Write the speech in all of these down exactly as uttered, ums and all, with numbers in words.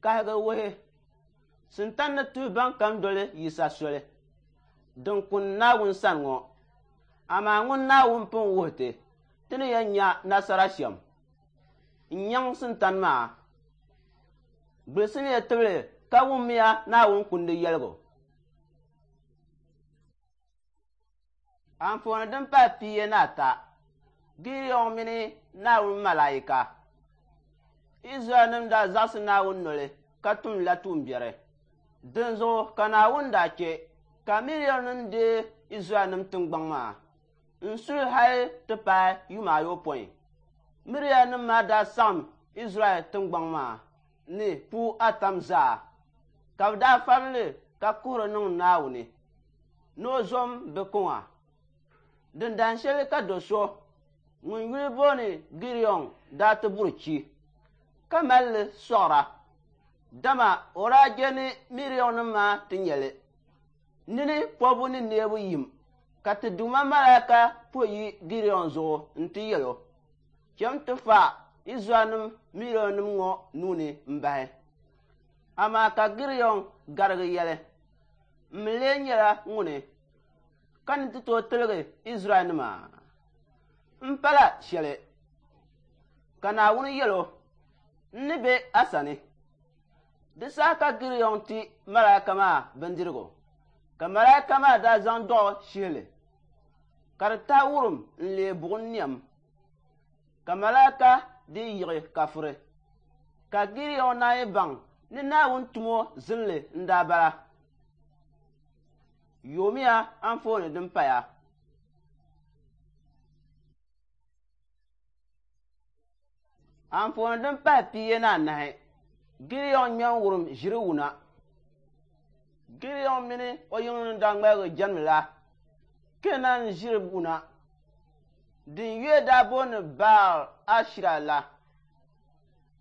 Kahigi wuhi, Sintani ni tuhi bɛnkam doli Yisa soli din kuni Naawuni sani ŋɔ, amaa ŋun Naawuni pun wuhi ti ti ni yɛn nya nasara shɛm n-nyaŋ Sintani maa. Gbulisimiya tibili ka wummiya Naawuni kundi yɛligu. Anfooni din pahi pia ni ata, Gideon mini Naawuni malaika. Izraɛlnim daa zaɣisi Naawuni noli ka tumdila tuumbiɛri. Dinzuɣu ka Naawuni daa chɛ ka Midiannim deei Izraɛlnim tiŋgbɔŋ maa n-su li hal ti paai yuma ayopɔin. Midiannim maa daa saɣim Izraɛl tiŋgbɔŋ maa ni puu atam zaa, ka bɛ daa fabili ka kuhiri niŋ Naawuni ni o zom bɛ kuŋa. Din dahin shɛli ka do so ŋun yuli booni Gideon daa ti buri chi, ka mali li sɔɣira, dama o daa je ni Midiannim maa ti nya li. Nini pɔbbu ni neebu yim, ka ti Duuma malaika puhi yi Gideon zuɣu nti yɛl o, Cham ti fa Izraɛlnim Midiannim ŋɔ nuu ni m-bahi. Amaa ka Gideon garigi yɛli, M mi lee nyɛla ŋuni ka ni ti tooi tiligi Izraɛlnima? M pala shɛli. Ka Naawuni yɛl o, N ni be a sani. Di saha ka Gideon ti malaika maa bindirigu, ka malaika maa daa zaŋ dɔɣu shihi li, ka di tahi wurim n-leei buɣim niɛm, ka malaika dii yiɣi kafiri. Ka Gideon naanyi baŋ ni Naawuni tumo zinli n-daa bala. Yoomiya anfooni din paya. Anfooni din pahi pia ni anahi, Gideon ŋme n-wurim ʒiri wuna. Gideon mini o yiŋnim daa ŋmaligi jɛmdila Keenan ʒiri wuna din yuya daa booni Baal Ashira la.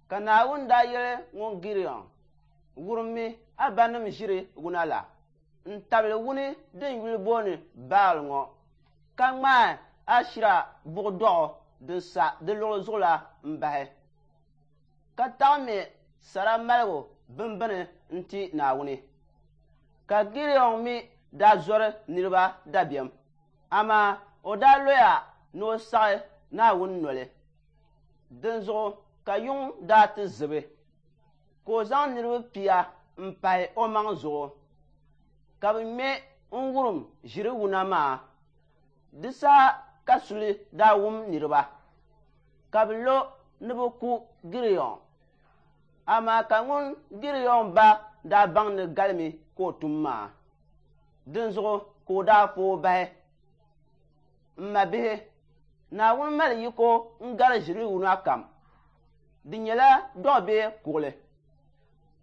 Ka Naawuni daa yɛli ŋun Gideon, Wurimmi a banim ʒiri wuna la n-tabili wuni din yuli booni Baal ŋɔ, ka ŋmaai Ashira buɣ dɔɣu din sa di luɣili zuɣu la m-bahi, ka taɣi me sara maligu bimbini n-ti Naawuni. Ka Gideon mi daa zɔri niriba dabiɛm, amaa o daa loya ni o saɣi Naawuni noli. Dinzuɣu ka yuŋ daa ti zibi, ka o zaŋ niriba pia m-pahi omaŋ zuɣu, ka bɛ ŋme n-wurim ʒiri wuna maa. Di saha ka suli daa wum niriba, ka bɛ lo ni bɛ ku Gideon. Amaa ka ŋun Gideon ba daa baŋ ni galimi ka o tum maa, dinzuɣu ka o daa fa o bahi. M mabihi, Naawuni mali yiko n-gari ʒiri wuna kam. Di nyɛla dɔɣu bee kuɣili.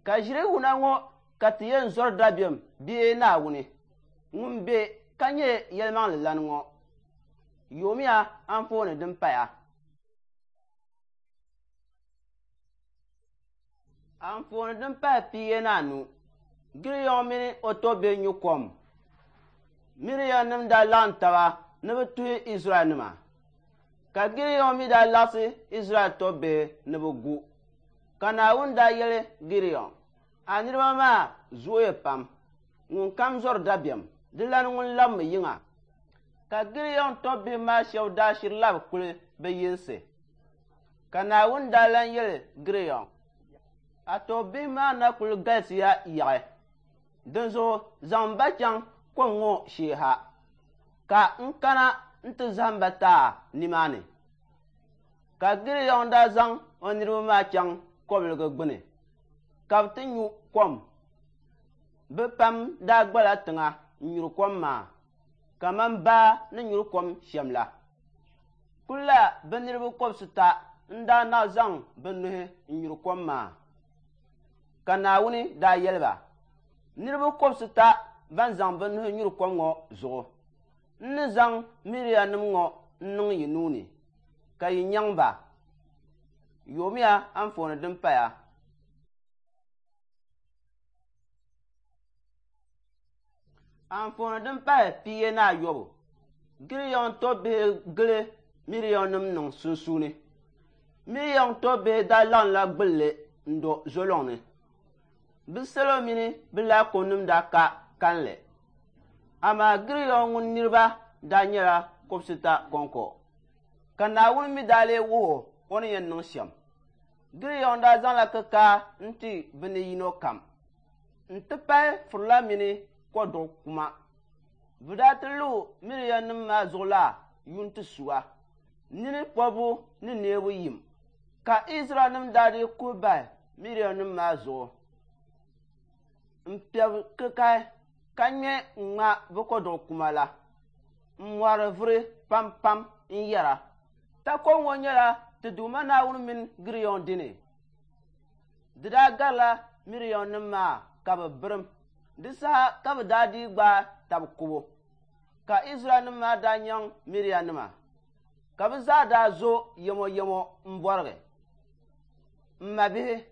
Ka ʒiri wuna ŋɔ ka ti yɛn zɔri dabiɛm bee Naawuni ŋun be ka nyɛ yɛlimaŋlilana ŋɔ. Yoomiya anfooni din paya. Anfooni din pahi pia ni anu, Gideon mini o tɔbbihi nyu kom. Midiannim daa laɣim taba ni bɛ tuhi Izraɛlnima, ka Gideon mi daa laɣisi Izraɛl tɔbbihi ni bɛ gu. Ka Naawuni daa yɛli Gideon, A niriba maa zooya pam, ŋunkam zɔri dabiɛm, di lan ŋun labimi yiŋa. Ka Gideon tɔbbihi maa shɛba daa shiri labi kuli bɛ yinsi. Ka Naawuni daa lan yɛli Gideon, A tɔbbihi maa na kul galisiya yaɣi, dinzuɣu zaŋm ba chaŋ kom ŋɔ shee ha, ka n kana nti zahim ba ti a nimaani. Ka Gideon daa zaŋ o niriba maa chaŋ kɔbiliga gbini, ka bɛ ti nyu kom. Bɛ pam daa gbala tiŋa n-nyuri kom maa kaman baa ni nyuri kom shɛm la. Kulla bɛ niriba kɔbisita n-daa naɣ zaŋ bɛ nuhi n-nyuri kom maa. Ka Naawuni daa yɛli ba, Niriba kɔbisita ban zaŋ bɛ nuhi nyuri kom ŋɔ zuɣu, n ni zaŋ Midiannim ŋɔ n-niŋ yi nuu ni, ka yi nyaŋ ba. Yoomiya anfooni din paya. Anfooni din pahi pia ni ayɔbu, Gideon tɔbbihi gili Midiannim niŋ sunsuuni. Midian tɔbbihi daa laɣimla gbilli n-do zolɔŋni. Bɛ salo mini bɛ laakunima daa ka kalinli, amaa Gidiɔn ŋun niriba daa nyɛla kɔbisita kɔŋko, ka Naawuni mi daa lee wuhi o o ni yɛn niŋ shɛm. Gidiɔn daa zaŋla kikaa n-ti bɛ ni yino kam nti pahi furila mini kɔduɣu kuma. Bɛ daa ti lu Midiannim maa zuɣu la yuntisuɣa nini pɔbu ni neebu yim, ka Izraɛlnim daa dii kuhi bahi Midiannim maa zuɣu m-piɛbi kikahi ka ŋme ŋ-ŋma bɛ kɔduɣu kuma la m-mɔri vuri pampam n-yɛra, Takɔbi ŋɔ nyɛla ti Duuma Naawuni mini Gidiɔn dini. Di daa garila Midiannim maa ka bɛ birim. Di saha ka bɛ daa dii gbaai tab kubu, ka Izraɛlnim maa daa nyaŋ Midiannima, ka bɛ zaa daa zo yɛmɔyɛmɔ m-bɔrigi. M mabihi,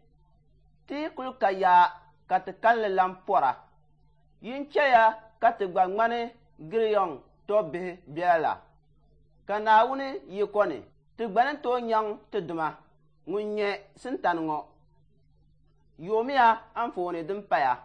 ti yi kul ka yaa ka ti kalinli lan pɔra, yin chɛya ka ti gba ŋmani Gidiɔn tɔbbihi biɛla la, ka Naawuni yiko ni ti gba ni tooi nyaŋ ti dima ŋun nyɛ Sintani ŋɔ. Yoomiya anfooni din paya.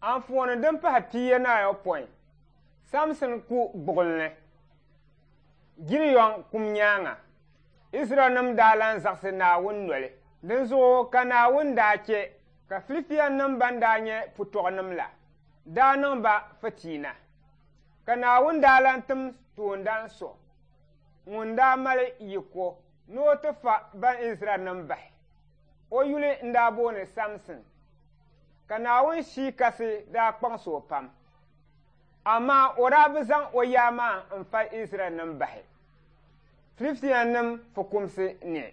Anfooni din pahi pia ni ayopɔin, Samsin ku gbuɣinli. Gideon kum nyaaŋa, Izraɛlnim daa lan zaɣisi Naawuni noli. Dinzuɣu ka Naawuni daa chɛ ka Filistianim ban daa nyɛ putɔɣunim la daa niŋ ba fitiina. Ka Naawuni daa lan tim toondan so ŋun daa mali yiko ni o ti fa ban Izraɛlnim bahi. O yuli n-daa booni Samsin. Ka Naawuni shii kasi daa kpaŋsi o pam. Amaa o daa bi zaŋ o yaa maa n-fa Izraɛlnim bahi Filistianim fukumsi ni,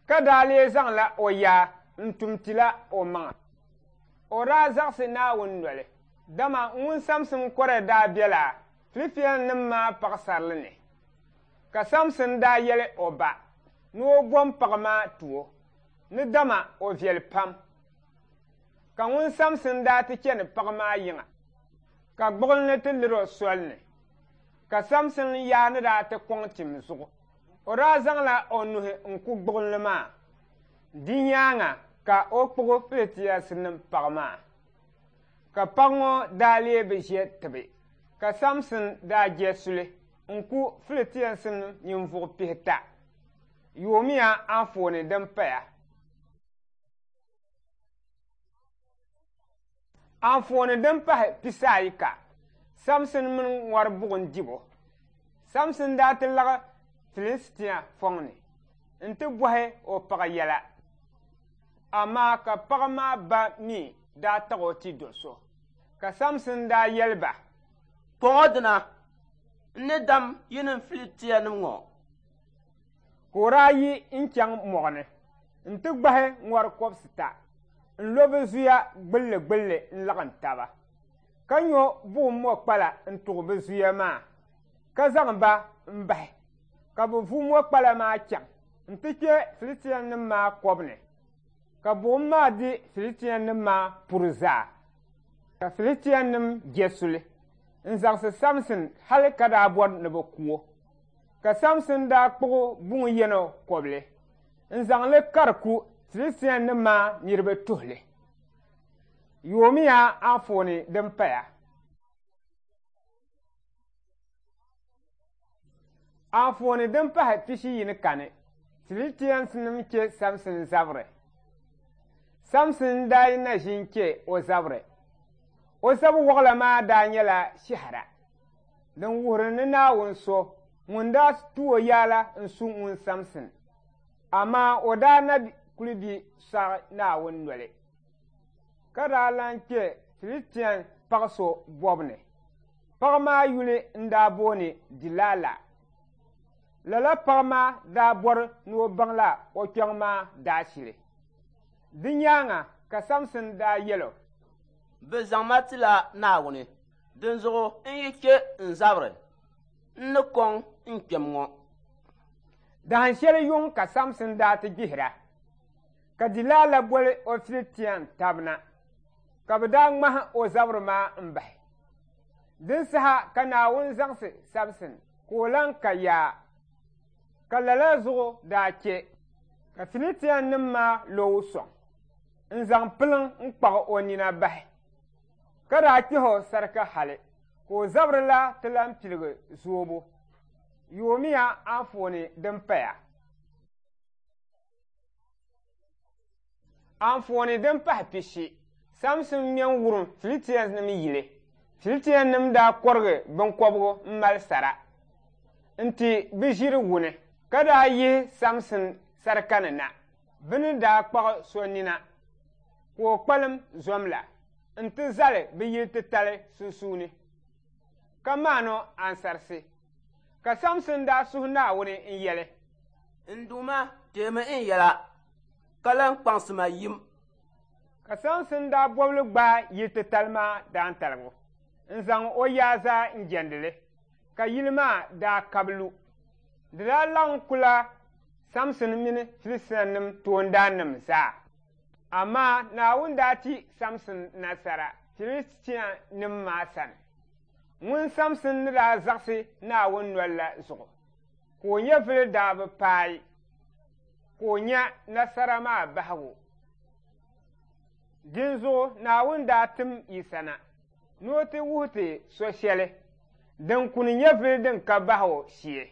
ka daa lee zaŋla o yaa n-tum tila o maŋa. O daa zaɣisi Naawuni noli, dama ŋun Samsin kɔre daa bela Filistianim maa paɣisarili ni. Ka Samsin daa yɛli o ba ni o bom paɣa maa ti o, ni dama o viɛli pam. Ka ŋun Samsin daa ti chani paɣa maa yiŋa, ka gbuɣinli ti liri o soli ni. Ka Samsin yaa ni daa ti kɔŋ tim zuɣu. O daa zaŋla o nuhi n-ku gbuɣinli maa. Di nyaaŋa ka o kpuɣi Filistianim paɣa maa. Ka paɣa ŋɔ daa lee bi ʒe tibi. Ka Samsin daa je suli n-ku Filistianim ninvuɣ pihita. Yoomiya anfooni din paya. Anfooni din pahi pisaayika, Samsin mini ŋɔri buɣim dibu. Samsin daa ti laɣi Filistia fɔŋ ni nti bɔhi o paɣa yɛla. Amaa ka paɣa maa ba mi daa taɣi o ti do so. Ka Samsin daa yɛli ba, Kɔŋɔ dina, n ni dam yinim Filistianim ŋɔ. Ka o daa yi n-chaŋ mɔɣuni nti gbahi ŋɔri kɔbisita n-lo bɛ zuya gbulli gbulli n-laɣim taba, ka nyo buɣim mɔkpala n-tuɣi bɛ zuya maa, ka zaŋ ba m-bahi, ka bɛ vu mɔkpala maa chaŋ nti kpe Filistianim maa kɔbu ni, ka buɣim maa di Filistianim maa puri zaa. Ka Filistianim je suli n-zaɣisi Samsin hali ka daa bɔri ni bɛ ku o. Ka Samsin daa kpuɣi buŋ yɛno kɔbili n-zaŋ li kari ku Filistianim maa niriba tuhili. Yoomiya anfooni din paya. Anfooni din pahi pishi yini kani, Filistianim che Samsin zabiri. Samsin daa yi na ʒin che o zabiri. O zabi waɣila maa daa nyɛla shɛhira din wuhiri ni Naawuni so ŋun daa tu o yaala n-su ŋun Samsin. Amaa o daa na kuli bi saɣi Naawuni noli, ka daa lan kpe Filistian paɣ so bɔbu ni. Paɣ maa yuli n-daa booni Dilaala. Lala paɣ maa daa bɔri ni o baŋla o kpiɔŋ maa daashili. Di nyaaŋa ka Samsin daa yɛl o, Bɛ zaŋ ma tila Naawuni, dinzuɣu n yi che n zabiri, n ni kɔŋ n kpɛm ŋɔ. Dahin shɛli yuŋ ka Samsin daa ti gbihira, ka Dilaala boli o Filistian tab na, ka bɛ daa ŋmahi o zabiri maa m-bahi. Din saha ka Naawuni zaŋsi Samsin ka o lan ka yaa, ka lala zuɣu daa che ka Filistianim maa lo o sɔŋ n-zaŋ piliŋ n-kpaɣi o nina bahi, ka daa kpɛhi o sarika hali ka o zabiri la ti lan piligi zoobu. Yoomiya anfooni din paya. Anfooni din pahi pishi, Samsin ŋme n-wurim Filistianim yili. Filistianim daa kɔrigi biŋkɔbigu m-mali sara nti bɛ ʒiri wuni, ka daa yihi Samsin sarika ni na. Bɛ ni daa kpaɣi so nina ka o kpalim zom la nti zali bɛ yili titali sunsuuni, ka maani o ansarisi. Ka Samsin daa suhi Naawuni n-yɛli, N Duuma, teemi n yɛla, ka lan kpaŋsi ma yim. Ka Samsin daa bɔbili gbaai yili titali maa daantaligu n-zaŋ o yaa zaa n-jɛndi li, ka yili maa daa kabi lu. Di daa laɣim kula Samsin mini Filistianim toondaannim zaa. Amaa Naawuni daa ti Samsin nasara Filistianim maa sani. Ŋun Samsin ni daa zaɣisi Naawuni noli la zuɣu, ka o nyɛvili daa bi paai, ka o nya nasara maa bahigu. Dinzuɣu Naawuni daa tim Yisa na ni o ti wuhi ti so shɛli din kuni nyɛvili din ka bahigu shee.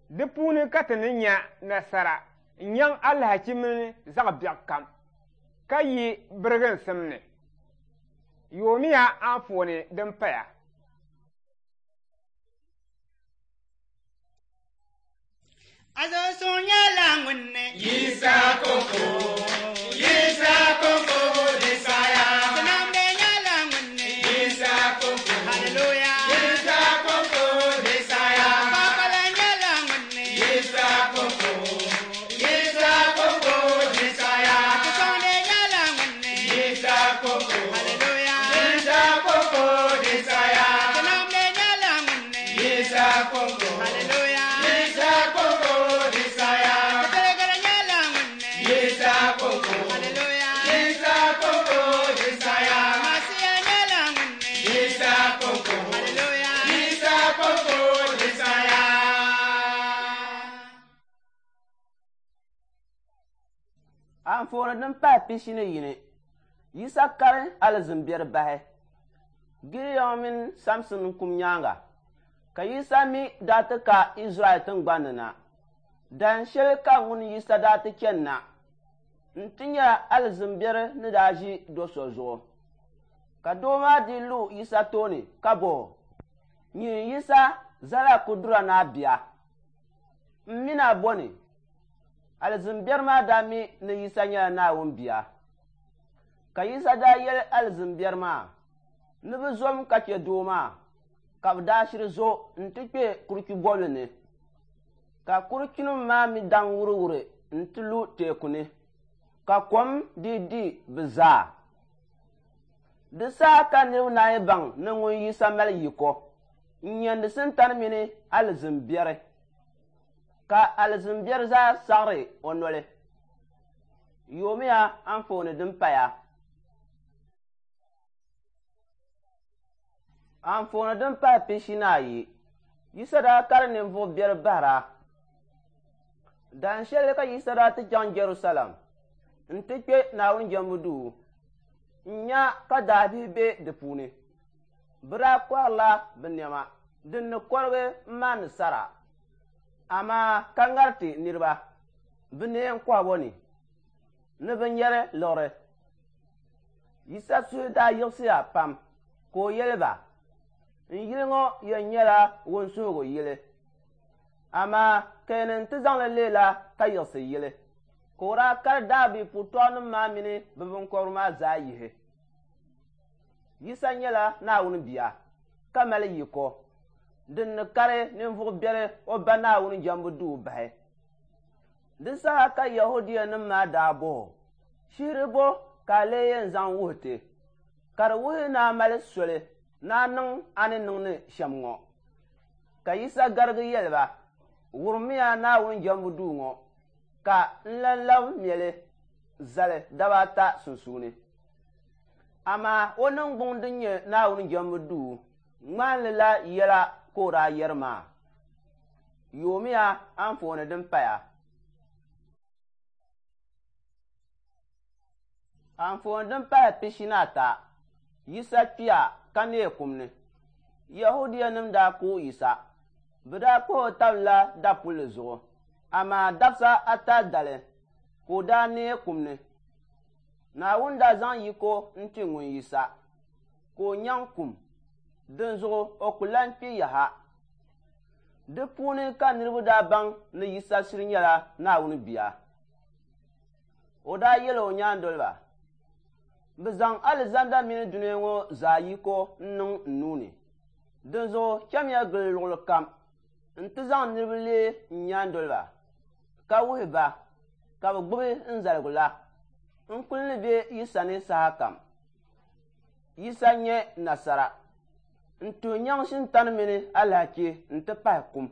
Di puuni ka ti ni nya nasara n-nyaŋ alahichi mini zaɣ biɛɣu kam, ka yi biriginsim ni. Yoomiya anfooni din paya. Azoso nyɛla ŋun ne Yisa koko, Yisa koko Desaya. Sinambe nyɛla ŋun ne Yisa koko, Hallelujah. Yisa koko Desaya. Kpakpala nyɛla ŋun ne Yisa koko, Yisa koko Desaya. Akisɔnde nyɛla ŋun ne Yisa koko, Hallelujah. Yisa koko Desaya. Sinambe nyɛla ŋun ne Yisa koko, Hallelujah. Yisa koko Desaya. Akitelegere nyɛla ŋun ne Yisa koko, Hallelujah. Yisa koko Desaya. Masia nyɛla ŋun ne Yisa koko, Hallelujah. Yisa koko Desaya. Anfooni din pahi pishi ni yini, Yisa kari alizin biɛri bahi. Gideon mini Samsin kum nyaaŋa, ka Yisa mi daa ti ka Izraɛl tiŋgbani ni na. Dahin shɛli ka ŋun Yisa daa ti chani na nti nya alizin biɛri ni daa ʒi do so zuɣu. Ka doo maa dii lu Yisa tooni ka bɔh o, Nyin Yisa Zallakudura Naa bia, m mi na bɔni? Alizin biɛri maa daa mi ni Yisa nyɛla Naawuni bia. Ka Yisa daa yɛli alizin biɛri maa ni bɛ zom ka che doo maa, ka bɛ daa shiri zo nti kpe kuruchu bɔbili ni. Ka kuruchunima maa mi daŋ wuriwuri nti lu teeku ni, ka kom dii di bɛ zaa. Di saha ka niriba naan baŋ ni ŋun Yisa mali yiko n-nyɛndi Sintani mini alizin biɛri, ka alizin biɛri zaa saɣiri o noli. Yoomiya anfooni din paya. Anfooni din pahi pishi ni ayi, Yisa daa kari ninvuɣ biɛri bahira. Dan shɛli ka Yisa daa ti chaŋ Jɛrusalɛm nti kpe Naawuni jɛmbu duu n-nya ka daabihi be di puuni. Bɛ daa kɔhirila bɛ nɛma din ni kɔrigi m-maani sara, amaa ka ŋariti niriba bɛ neen kɔhibu ni ni bɛ nyɛri liɣiri. Yisa suhu daa yiɣisiya pam ka o yɛli ba, n yili ŋɔ yɛn nyɛla wunsuhigu yili, amaa ka yɛn ti zaŋli leela ka yiɣisi yili. Ka o daa kari daabihi putɔɣunim maa mini bɛ binkɔbiri maa zaa yihi. Yisa nyɛla Naawuni bia ka mali yiko din ni kari ninvuɣ biɛli o ba Naawuni jɛmbu duu bahi. Di saha ka Yahudianim maa daa bɔh o, shihiri bo ka a lee yɛn zaŋ wuhi ti, ka di wuhi ni a mali soli ni a niŋ a ni niŋdi shɛm ŋɔ. Ka Yisa garigi yɛli ba, wurimiya Naawuni jɛmbu duu ŋɔ ka n lan labi mɛli zali daba ata sunsuuni. Amaa o niŋgbuŋ din nyɛ Naawuni jɛmbu duu ŋmahinli la yɛla ka o daa yɛri maa. Yoomiya anfooni din paya. Anfooni din pahi pishi ni ata, Yisa kpiya ka neei kum ni. Yahudianim daa ku Yisa. Bɛ daa kpuhi o tabila dapulli zuɣu, amaa dabisa ata dali ka o daa neei kum ni. Naawuni daa zaŋ yiko n-ti ŋun Yisa ka o nyaŋ kum, dinzuɣu o ku lan kpi yaha. Di puuni ka niriba daa baŋ ni Yisa shiri nyɛla Naawuni bia. O daa yɛli o nyaandoliba, bɛ zaŋ alizanda mini dunia ŋɔ zaa yiko n-niŋ n nuu ni. Dinzuɣu chamiya gili luɣili kam nti zaŋ niriba leei n nyaandoliba ka wuhi ba ka bɛ gbubi n zaligu la. N kuli ni be yi sani saha kam. Yisa nyɛ nasara n-tuhi nyaŋ shintani mini alahichi nti pahi kum.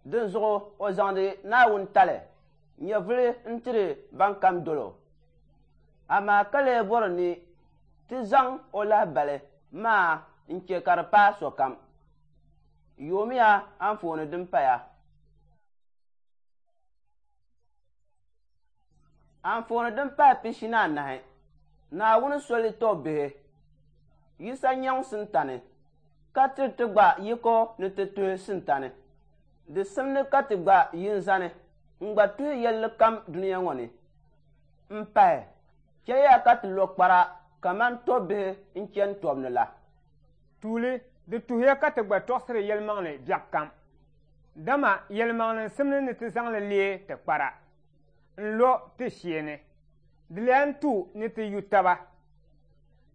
Dinzuɣu o zaŋdi Naawuni tali nyɛvuli n-tiri ban kam dol o. Amaa ka lee bɔri ni ti zaŋ o lahibali maa n-che ka di paai sokam. Yoomiya anfooni din paya. Anfooni din pahi pishi ni anahi, Naawuni soli tɔbbihi. Yisa nyaŋ sintani ka tiri ti gba yiko ni ti tuhi sintani. Di simdi ka ti gba yin zani n-gba tuhi yɛlli kam dunia ŋɔ ni. M pahi, chɛya ka ti lo kpara kaman tɔbbihi n-chani tɔbu ni la. Tuuli, di tuhiya ka ti gba tɔɣisiri yɛlimaŋli biɛɣu kam. Dama yɛlimaŋli n-simdi ni ti zaŋli leei ti kpara n-lo ti shee ni. Di lan tu ni ti yu taba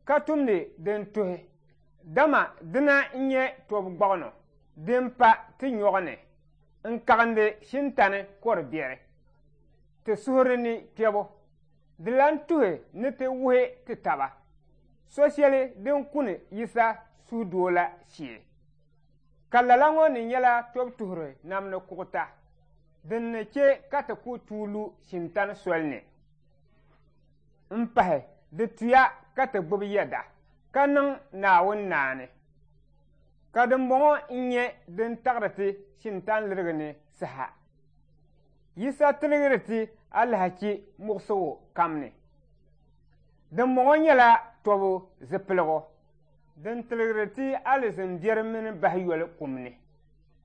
ka tumdi din tuhi, dama dina n-nyɛ tɔbu gbaɣino din pa ti nyɔɣu ni n-kaɣindi shintani kɔr biɛri ti suhuri ni kpɛbu. Di lan tuhi ni ti wuhi ti taba so shɛli din kuni Yisa suhudoo la shee. Ka lala ŋɔ ni nyɛla tɔbu tuhiri namdi kuɣuta din ni che ka ti ku tuui lu shintani soli ni. M pahi, di tuya ka ti gbubi yɛda ka niŋ Naawuni naani. Ka dimbɔŋɔ n-nyɛ din taɣiri ti shintani lirigi ni saha. Yisa tiligiri ti alahichi muɣisigu kam ni. Dimbɔŋɔ nyɛla tɔbu zipiligu din tiligiri ti alizin biɛri mini bahiyoli kum ni.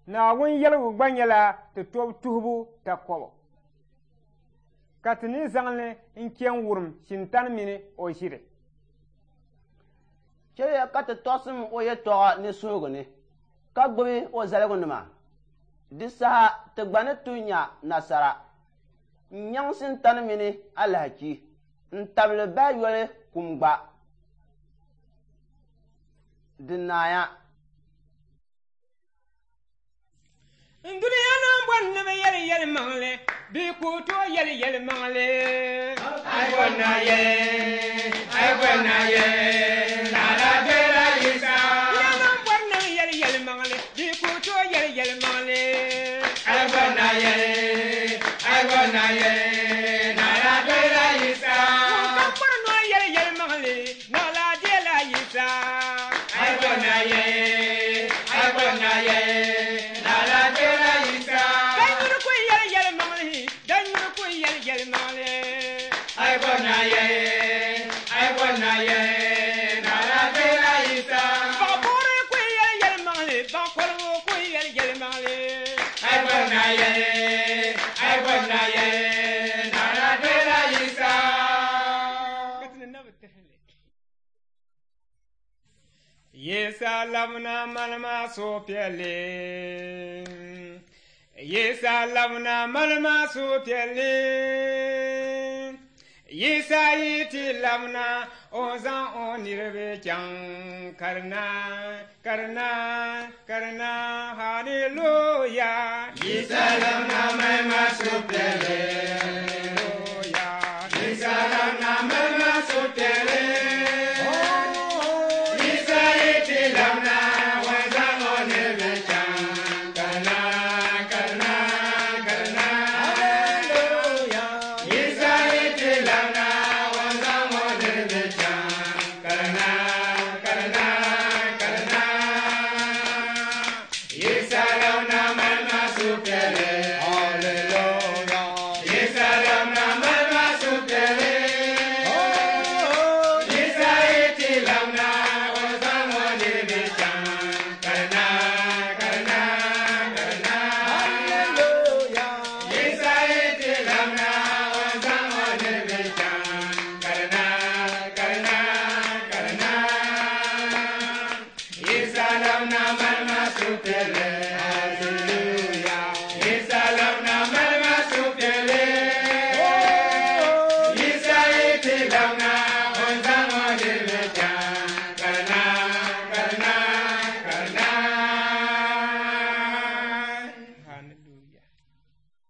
Naawuni yɛligu gba nyɛla ti tɔbu tuhibu takɔbu, ka ti ni zaŋli n-che n-wurim shintani mini o ʒiri. Chɛya ka ti tɔɣisim o yɛtɔɣa ni suhigu ni, ka gbubi o zaligunima. Di saha ti gba ni tuhi nya nasara n-nyaŋ shintani mini alahichi n-tabili bahiyoli kum gba. Di naaya. N dunia niŋ bɔri ni bɛ yɛli yɛlimaŋli, bɛ ku tooi yɛli yɛlimaŋli. Ai bɔri na yɛli, ai bɔri na yɛli, lala bela Yisa. Dunia niŋ bɔri ni bɛ yɛli yɛlimaŋli, bɛ ku tooi yɛli yɛlimaŋli. Ai bɔri na yɛli, ai bɔri na yɛli, lala bela Yisa. Ŋun kam bɔri ni o yɛli yɛlimaŋli, lala bela Yisa. Ai bɔri na yɛli, ai bɔri na yɛli, lala bela Yisa. Kai niri ku yɛli yɛlimaŋli, na ye, ai na ye, na na dela Yisa. Yisa labna malma supiɛlli, Yisa labna malma supiɛlli. Yisa yi ti labna o zaŋ o niriba chaŋ karina, karina, karina, hallelujah. Yisa labna